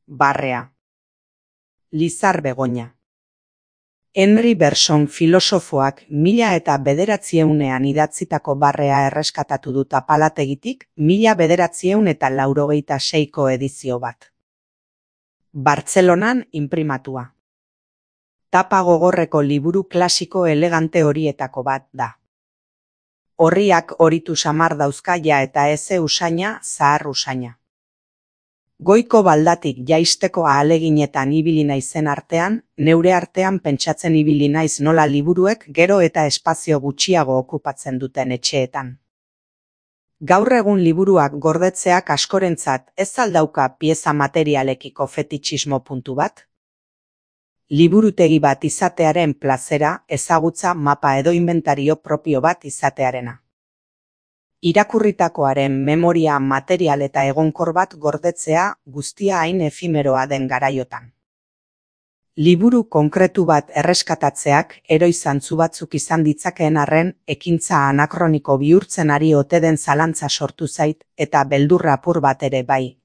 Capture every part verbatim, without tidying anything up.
Barrea. Lizar Begoña. Henry Bergson filosofoak mila eta bederatziehunean idatzitako barrea erreskatatu dut apalategitik mila bederatzieun eta laurogeita seiko edizio bat. Bartzelonan inprimatua. Tapa gogorreko liburu klasiko elegante horietako bat da. Horriak horitu samar dauzkaia eta eze usaina zahar usaina. Goiko baldatik jaisteko ahaleginetan ibili naizen artean, neure artean pentsatzen ibili naiz nola liburuek gero eta espazio gutxiago okupatzen duten etxeetan. Gaur egun liburuak gordetzeak askorentzat ez aldauka pieza materialekiko fetitxismo puntu bat? Liburutegi bat izatearen plazera, ezagutza, mapa edo inventario propio bat izatearena. Irakurritakoaren memoria material eta egonkor bat gordetzea guztia hain efimeroa den garaiotan. Liburu konkretu bat erreskatatzeak eroi zantzu batzuk izan ditzakeen arren ekintza anakroniko bihurtzen ari ote den zalantza sortu zait eta beldurra apur bat ere bai.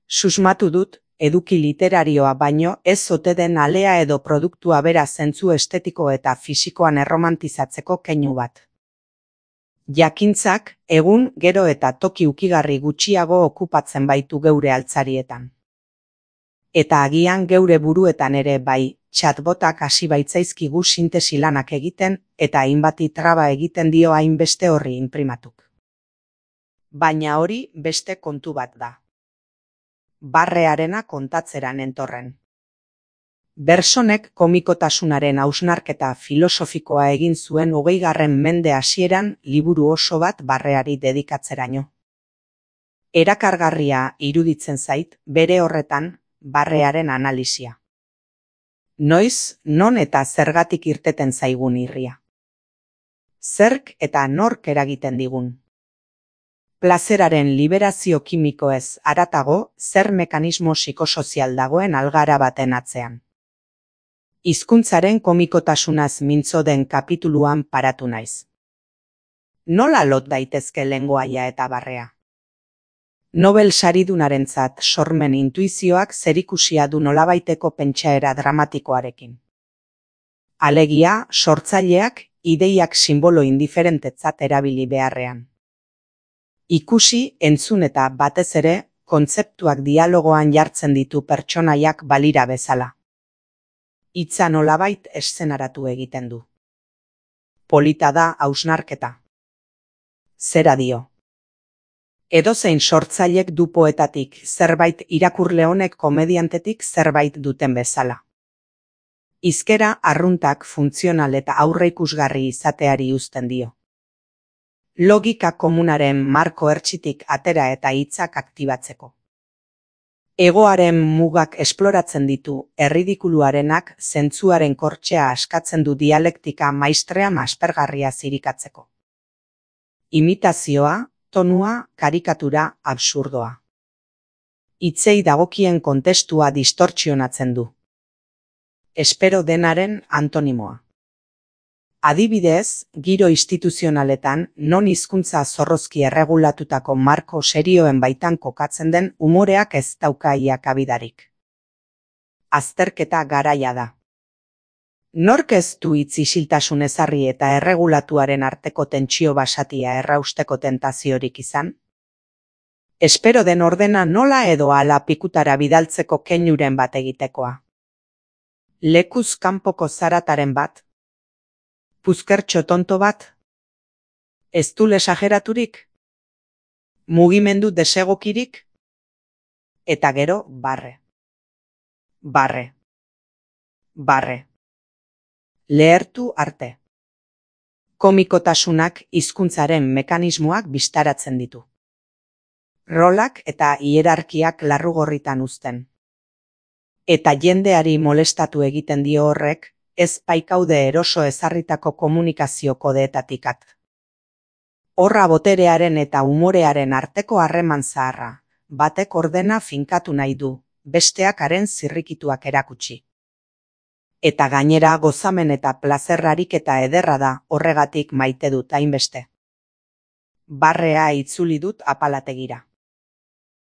Susmatu dut, eduki literarioa baino ez ote den alea edo produktua bera zentzu estetiko eta fisikoan erromantizatzeko keinu bat. Jakintzak, egun, gero eta toki ukigarri gutxiago okupatzen baitu geure altzarietan. Eta agian geure buruetan ere bai, chatbotak hasi baitzaizkigu sintesi lanak egiten eta hainbati traba egiten dio hainbeste horri inprimatuk. Baina hori beste kontu bat da. Barrearena kontatzera nentorren. Bergsonek komikotasunaren hausnarketa filosofikoa egin zuen hogeigarren mende hasieran liburu oso bat barreari dedikatzeraino. Erakargarria iruditzen zait bere horretan barrearen analisia. Noiz, non eta zergatik irteten zaigun irria. Zerk eta nork eragiten digun. Plazeraren liberazio kimikoez haratago zer mekanismo psikosozial dagoen algara baten atzean. Hizkuntzaren komikotasunaz mintzo den kapituluan paratu naiz. Nola lot daitezke lengoaia eta barrea? Nobel saridunarentzat sormen intuizioak zerikusia du nolabaiteko pentsaera dramatikoarekin. Alegia, sortzaileak ideiak sinbolo indiferentetzat erabili beharrean. Ikusi, entzun eta batez ere, kontzeptuak dialogoan jartzen ditu pertsonaiak balira bezala. Hitza nolabait eszenaratu egiten du. Polita da hausnarketa. Zera dio. Edozein sortzailek du poetatik zerbait irakurle honek komediantetik zerbait duten bezala. Hizkera arruntak funtzional eta aurreikusgarri izateari uzten dio. Logika komunaren marko ertsitik atera eta hitzak aktibatzeko. Egoaren mugak esploratzen ditu, erridikuluarenak zentzuaren kortxea askatzen du dialektika maistrea aspergarria zirikatzeko. Imitazioa, tonua, karikatura, absurdoa. Hitzei dagokien kontestua distortzionatzen du. Espero denaren antonimoa. Adibidez, giro instituzionaletan non hizkuntza zorrozki erregulatutako marko serioen baitan kokatzen den umoreak ez dauka iakabidarik. Azterketa garaia da. Nork ez du hitz isiltasun ezarri eta erregulatuaren arteko tentsio basatia errausteko tentaziorik izan? Espero den ordena nola edo hala pikutara bidaltzeko keinuren bat egitekoa. Lekuz kanpoko zarataren bat? Puzkertxo tonto bat? Ez du esageraturik? Mugimendu desegokirik? Eta gero barre. Barre. Barre. Lehertu arte. Komikotasunak hizkuntzaren mekanismoak bistaratzen ditu. Rolak eta hierarkiak larrugorritan uzten. Eta jendeari molestatu egiten dio horrek, ez baikaude eroso ezarritako komunikazio kodeetatik at. Horra boterearen eta umorearen arteko harreman zaharra, batek ordena finkatu nahi du, besteak haren zirrikituak erakutsi. Eta gainera gozamen eta plazerrarik eta ederra da horregatik maite dut hainbeste. Barrea itzuli dut apalategira.